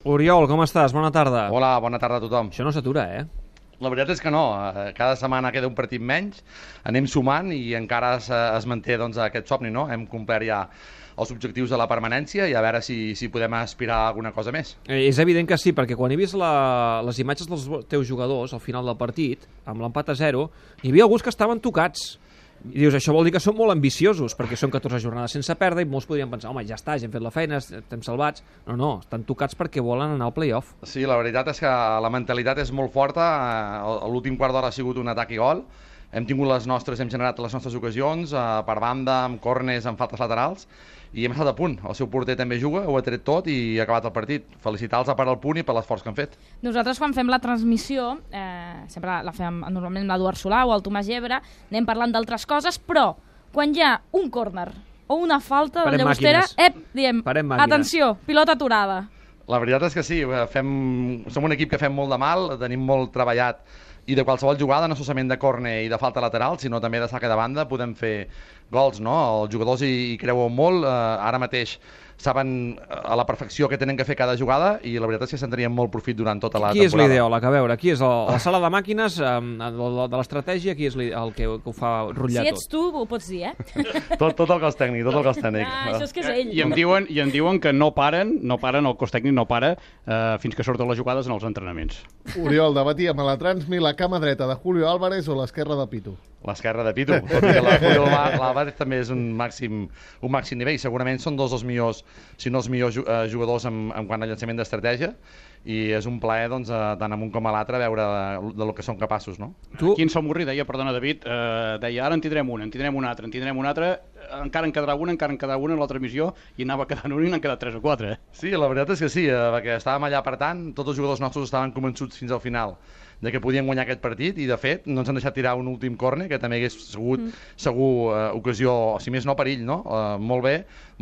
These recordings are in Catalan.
Oriol, com estàs? Bona tarda. Hola, bona tarda a tothom. Això no s'atura, La veritat és que no. Cada setmana queda un partit menys, anem sumant i encara es manté aquest somni, no? Hem complert ja els objectius de la permanència i a veure si podem aspirar a alguna cosa més. És evident que sí, perquè quan he vist les imatges dels teus jugadors al final del partit, amb l'empat a 0, hi havia alguns que estaven tocats. I dius, això vol dir que són molt ambiciosos, perquè són 14 jornades sense perdre i molts podrien pensar, home, ja està, ja hem fet la feina, estem salvats. No, estan tocats perquè volen anar al play-off. Sí, la veritat és que la mentalitat és molt forta. L'últim quart d'hora ha sigut un atac i gol. Hem tingut hem generat les nostres ocasions, per banda, amb córners, amb faltes laterals, i hem estat a punt. El seu porter també juga, ho ha tret tot i ha acabat el partit. Felicitar-los per al punt i per l'esforç que han fet. Nosaltres, quan fem la transmissió, sempre la fem normalment amb l'Eduard Solà o el Tomàs Gebre, anem parlant d'altres coses, però quan hi ha un córner o una falta del Llagostera, diem, atenció, pilota aturada. La veritat és que sí, som un equip que fem molt de mal, tenim molt treballat i de qualsevol jugada, no solament de córner i de falta lateral, sinó també de saque de banda, podem fer gols, no? Els jugadors hi creuen molt, ara mateix saben a la perfecció què tenen que fer cada jugada i la veritat és que se'n tenien molt profit durant tota la temporada. Qui és l'ideòleg? A veure, qui és la sala de màquines de l'estratègia? Qui és el que ho fa rotllar tot? Si ets tu, ho pots dir, Tot el cos tècnic, tot el cos tècnic. Això és que és ell. I em diuen que no paren, el cos tècnic no para fins que surten les jugades en els entrenaments. Oriol, debatíem a la Transmi la cama dreta de Julio Álvarez o l'esquerra de Pitu. L'esquerra de Pitu, tot i que la Julio Álvarez també és un màxim nivell. Segurament són dos dels millors, si no els millors jugadors en quant a llançament d'estratègia, i és un plaer, tant en un com a l'altre, veure de lo que són capaços, no? Aquí en Salmurri deia, perdona David, deia, ara en tindrem un altre, encara en quedarà una en la transmissió, i anava quedant un i n'han quedat 3 o 4. Sí, la veritat és que sí, perquè estàvem allà per tant, tots els jugadors nostres estaven convençuts fins al final de que podien guanyar aquest partit i de fet no ens han deixat tirar un últim córner que també hagués sigut segur ocasió, si més no perill, no? Molt bé,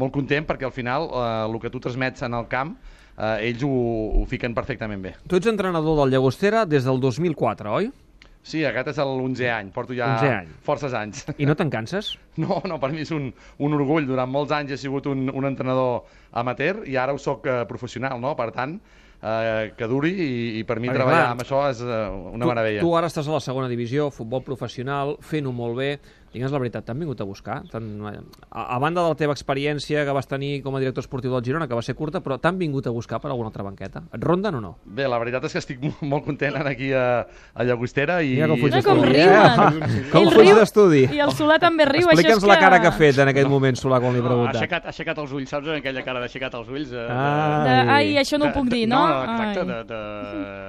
molt content perquè al final el que tu transmets en el camp ells ho fiquen perfectament bé. Tu ets entrenador del Llagostera des del 2004, oi? Sí, aquest és l'11è any, porto ja forces anys. I no te'n canses? No, per mi és un orgull. Durant molts anys he sigut un entrenador amateur i ara ho soc professional, no? Per tant, que duri i per mi treballar amb això és una meravella. Tu ara estàs a la segona divisió, futbol professional, fent-ho molt bé. Digue'ns la veritat, t'han vingut a buscar? A banda de la teva experiència que vas tenir com a director esportiu del Girona, que va ser curta, però t'han vingut a buscar per alguna altra banqueta? Et ronden o no? Bé, la veritat és que estic molt content aquí a Llagostera i... Mira com fuig d'estudi. Com fuig d'estudi. I el Solà també riu. Explica'ns la cara que ha fet en aquest moment, Solà, quan li he preguntat. Ha aixecat els ulls, saps? Aquella cara d'aixecat els ulls. Ai, això no ho puc dir, no? No, exacte,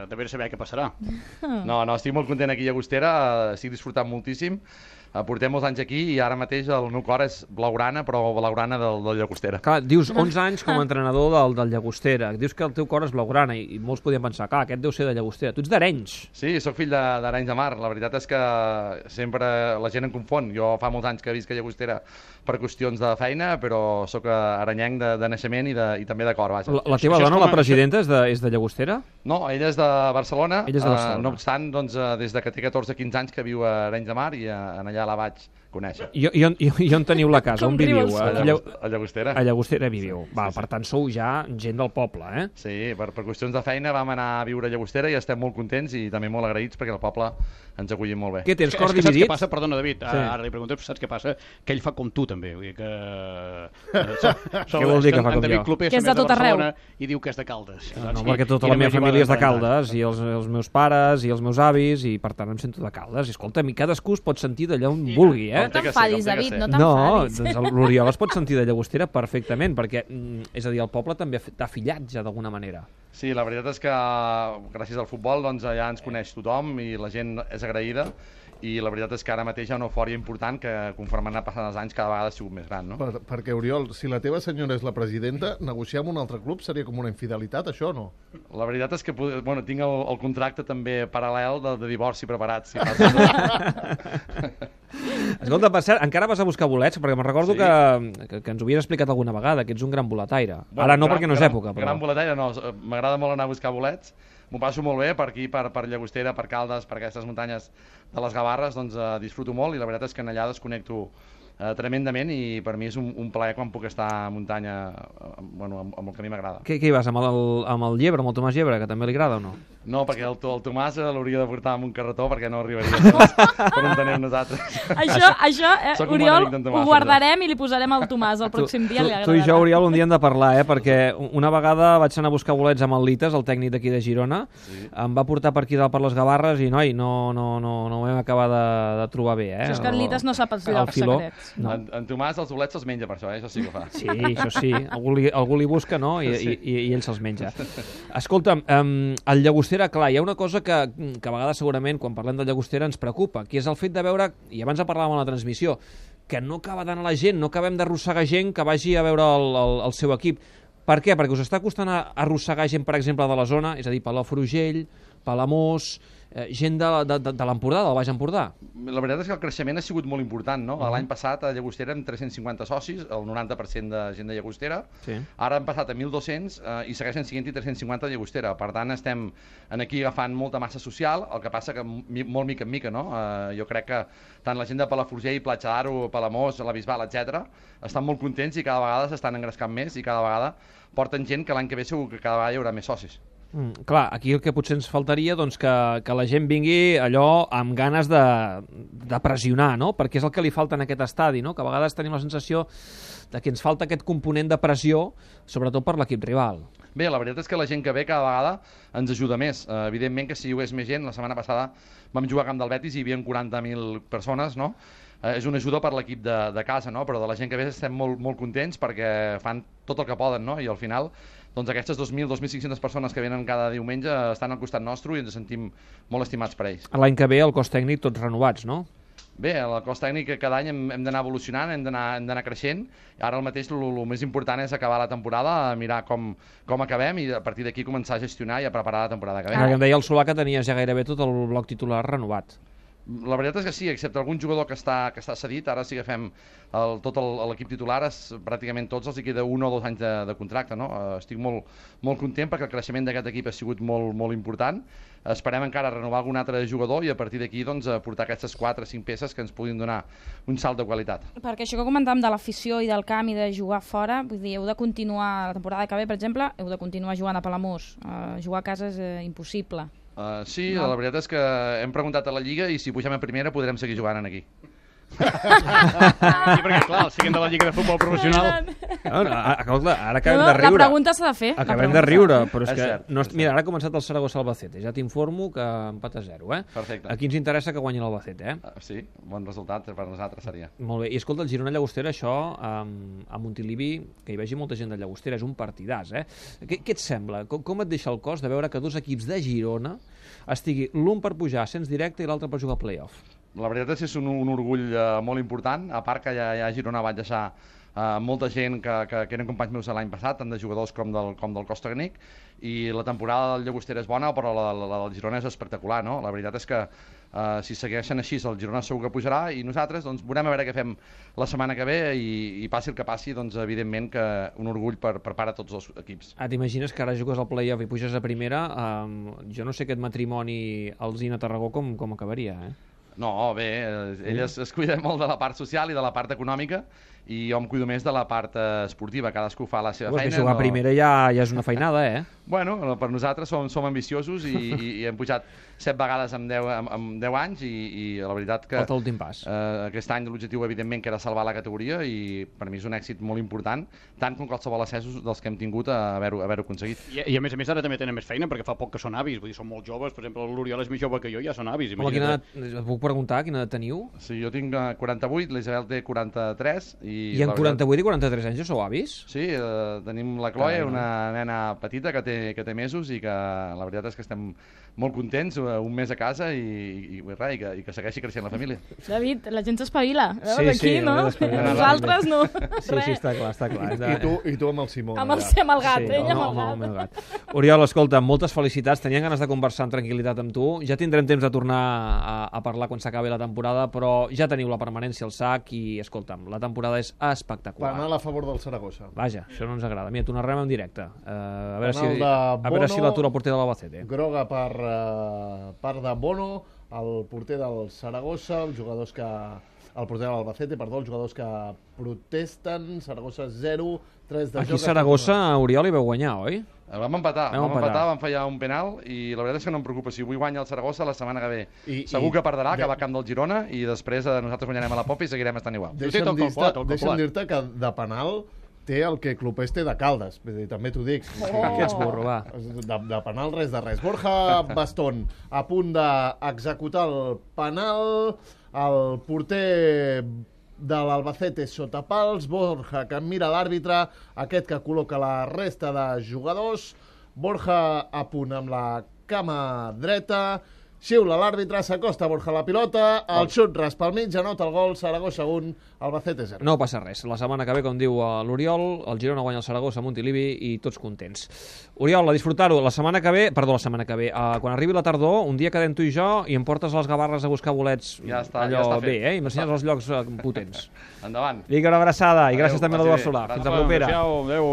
de veure saber què passarà. No, estic molt content aquí a Llagostera, estic disfrutant moltíssim. Portem molts anys aquí i ara mateix el meu cor és blaugrana, però blaugrana del Llagostera. Clar, dius 11 anys com a entrenador del Llagostera, dius que el teu cor és blaugrana i molts podien pensar, clar, aquest deu ser de Llagostera. Tu ets d'Arenys. Sí, sóc fill d'Arenys de Mar. La veritat és que sempre la gent em confon. Jo fa molts anys que visc a Llagostera per qüestions de feina, però sóc arenyenc de naixement i també de cor, vaja. La teva dona, la presidenta, és de Llagostera? No, ella és de Barcelona. Ella és de Barcelona. No obstant, des que té 14-15 anys que viu a Arenys de Mar i allà la vaig conèixer. I on teniu la casa? On viviu? A Llagostera. A Llagostera viviu. Va, per tant, sou ja gent del poble, eh? Sí, per qüestions de feina vam anar a viure a Llagostera i estem molt contents i també molt agraïts perquè el poble ens ha acollit molt bé. Què tens, cor dividit? dividit? Saps què passa? Perdona, David, ara li pregunto, saps què passa? Que ell fa com tu, també. Vull dir que... Què vol dir que fa com jo? Que és de tot arreu. I diu que és de Caldes. No, perquè tota la meva família és de Caldes, i els meus pares, i els meus avis, i per tant em sento de Caldes. I escolta'm, i cadascú es pot sentir d'allà on vulgui, eh? No t'enfadis, David, no No, t'enfadis. doncs l'Oriol es pot sentir de Llagostera perfectament, perquè, és a dir, el poble també t'ha fillat ja d'alguna manera. Sí, la veritat és que gràcies al futbol ja ens coneix tothom i la gent és agraïda i la veritat és que ara mateix hi ha una eufòria important que conforme han passat els anys cada vegada ha sigut més gran, no? Perquè, Oriol, si la teva senyora és la presidenta, negociar amb un altre club seria com una infidelitat, això, no? La veritat és que tinc el contracte també paral·lel de divorci preparat, si passa. Escolta, per cert, encara vas a buscar bolets? Perquè me'n recordo que ens ho havies explicat alguna vegada, que ets un gran boletaire. Ara no, perquè no és època. Gran boletaire no, m'agrada molt anar a buscar bolets, m'ho passo molt bé per aquí, per Llagostera, per Caldes, per aquestes muntanyes de les Gavarres, disfruto molt i la veritat és que allà desconnecto tremendament, i per mi és un plaer quan puc estar a muntanya, amb el que a mi m'agrada. Què hi vas, amb el Llebre, amb el Tomàs Llebre, que també li agrada o no? No, perquè el Tomàs l'hauria de portar amb un carretó perquè no arribaria per on tenem nosaltres. Això, Oriol, ho guardarem i li posarem al Tomàs el pròxim dia. Tu i jo, Oriol, un dia hem de parlar, perquè una vegada vaig anar a buscar bolets amb el Lites, el tècnic d'aquí de Girona, em va portar per aquí dalt per les Gavarres i, noi, no vam acabar de trobar bé. Això és que el Lites no sap els llocs secrets. No. En Tomàs els bolets se'ls menja per això, això sí que ho fa. Sí, això sí. Algú li busca, no? I ell se'ls menja. Escolta'm, el Llagostera, clar, hi ha una cosa que a vegades segurament quan parlem del Llagostera ens preocupa, que és el fet de veure, i abans en parlàvem a la transmissió, que no acaba d'anar la gent, no acabem d'arrossegar gent que vagi a veure el seu equip. Per què? Perquè us està costant arrossegar gent, per exemple, de la zona, és a dir, Palafrugell, Palamós, gent de l'Empordà, del Baix Empordà. La veritat és que el creixement ha sigut molt important, no? L'any passat a Llagostera amb 350 socis, el 90% de gent de Llagostera. Sí. Ara han passat a 1.200 i segueixen sent-hi 350 a Llagostera. Per tant, estem aquí agafant molta massa social, el que passa que molt mica en mica, no? Jo crec que tant la gent de Palafrugell, Platja d'Aro, Palamós, la Bisbal, etc., estan molt contents i cada vegada s'estan engrescant més i cada vegada porten gent que l'any que ve segur que cada vegada hi haurà més socis. Clar, aquí el que potser ens faltaria que la gent vingui allò amb ganes de pressionar, no? Perquè és el que li falta en aquest estadi, no? Que a vegades tenim la sensació de que ens falta aquest component de pressió, sobretot per l'equip rival. Bé, la veritat és que la gent que ve cada vegada ens ajuda més. Evidentment que si hi hagués més gent, la setmana passada vam jugar a Camp del Betis i hi havia 40.000 persones, no? És una ajuda per l'equip de casa, no? Però de la gent que ve estem molt contents perquè fan tot el que poden, no? I al final doncs aquestes 2.000-2.500 persones que venen cada diumenge estan al costat nostre i ens sentim molt estimats per ells. L'any que ve el cos tècnic tots renovats, no? Bé, el cos tècnic cada any hem d'anar evolucionant, hem d'anar creixent. Ara mateix el més important és acabar la temporada, mirar com acabem i a partir d'aquí començar a gestionar i a preparar la temporada que ve. Ara que em deia el Solà que tenies ja gairebé tot el bloc titular renovat. La veritat és que sí, excepte algun jugador que està cedit, ara sí que fem tot l'equip titular, pràcticament tots els hi queda 1 o 2 anys de contracte, no? Estic molt content perquè el creixement d'aquest equip ha sigut molt important. Esperem encara renovar algun altre jugador i a partir d'aquí doncs, portar aquestes 4 o 5 peces que ens puguin donar un salt de qualitat. Perquè això que comentàvem de l'afició i del camp i de jugar fora, vull dir, heu de continuar la temporada que ve, per exemple, heu de continuar jugant a Palamós. Jugar a casa és impossible. Sí, no. La veritat és que hem preguntat a la Lliga i si pugem a primera podrem seguir jugant aquí. Sí, perquè clar, siguin de la Lliga de Futbol Professional. Ara acabem de riure. La pregunta s'ha de fer. Acabem de riure, però és que... Mira, ara ha començat el Saragossa Albacete. Ja t'informo que empat a 0, eh? Perfecte. Aquí ens interessa que guanyi l'Albacete, eh? Sí, bon resultat per nosaltres seria. Molt bé. I escolta, el Girona Llagostera, això, a Montilivi, que hi vegi molta gent de Llagostera, és un partidàs, eh? Què et sembla? Com et deixa el cos de veure que 2 equips de Girona estigui l'un per pujar a ascens directe i l'altre per jugar a play-off? La veritat és un orgull molt important, a part que ja a Girona vaig deixar molta gent que eren companys meus l'any passat, tant de jugadors com del cos tècnic, i la temporada del Llagostera és bona, però la del Girona és espectacular, no? La veritat és que si segueixen així el Girona segur que pujarà i nosaltres doncs, veurem a veure què fem la setmana que ve i passi el que passi, doncs evidentment que un orgull per part de tots els equips. T'imagines que ara jugues al play-off i puges a primera, jo no sé aquest matrimoni Alzina-Tarragó com acabaria, eh? No, bé, ell es cuida molt de la part social i de la part econòmica i jo em cuido més de la part esportiva, cadascú fa la seva feina. Jugar a primera ja és una feinada, eh? Bueno, per nosaltres som ambiciosos i hem pujat 7 vegades en 10 anys i la veritat que... Falta l'últim pas. Aquest any l'objectiu, evidentment, que era salvar la categoria i per mi és un èxit molt important, tant com qualsevol ascensos dels que hem tingut a haver-ho aconseguit. I a més ara també tenen més feina perquè fa poc que són avis, vull dir, són molt joves, per exemple, l'Oriol és més jove que jo, ja són avis. Puc preguntar quina edat teniu? Sí, jo tinc 48, l'Isabel té 43 i en 48 i 43 anys ja sou avis? Sí, tenim la Chloe, una nena petita que té mesos i que la veritat és que estem molt contents, un mes a casa i que segueixi creixent la família. David, la gent s'espavila, veus, aquí, no? Nosaltres no. Sí, està clar. I tu amb el Simón. Amb el gat, ella amb el gat. Oriol, escolta, moltes felicitats, tenien ganes de conversar amb tranquil·litat amb tu, ja tindrem temps de tornar a parlar quan s'acabi la temporada, però ja teniu la permanència al sac i, escolta'm, la temporada és espectacular. Penal a favor del Saragossa. Vaja, això no ens agrada. Mira, t'ho narrem en directe. A veure si l'atura el porter de l'Albacete. Groga per part de Bono, el porter del Saragossa, els jugadors que el porter de l'Albacete, perdó, els jugadors que protesten, Saragossa 0, 3 de joc... Aquí Saragossa, Oriol, hi veu guanyar, oi? Vam empatar, vam fallar un penal i la veritat és que no em preocupa. Si avui guanya el Saragossa, la setmana que ve segur que perdrà, que va a camp del Girona, i després nosaltres guanyarem a la Popa i seguirem estant igual. Deixa'm dir-te que de penal té el que Clopés té de Caldes, també t'ho dic. Que ets burro, va. De penal res de res. Borja Bastón, a punt d'executar el penal, el porter de l'Albacete sota pals, Borja que mira l'àrbitre, aquest que col·loca la resta de jugadors, Borja a punt amb la cama dreta, xiula l'àrbitre, s'acosta Borja la pilota, el xut ras pel mig, anota el gol, Saragossa 1, Albacete 0. No passa res, la setmana que ve, com diu l'Oriol, el Girona guanya el Saragossa a Montilivi i tots contents. Oriol, a disfrutar-ho, la setmana que ve, quan arribi la tardor, un dia quedem tu i jo i em portes a les Gavarres a buscar bolets, ja està bé, i m'ensenyes els llocs potents. Endavant. Vinga, una abraçada, i gràcies també a l'Eduard Solà. Fins la propera. Adéu.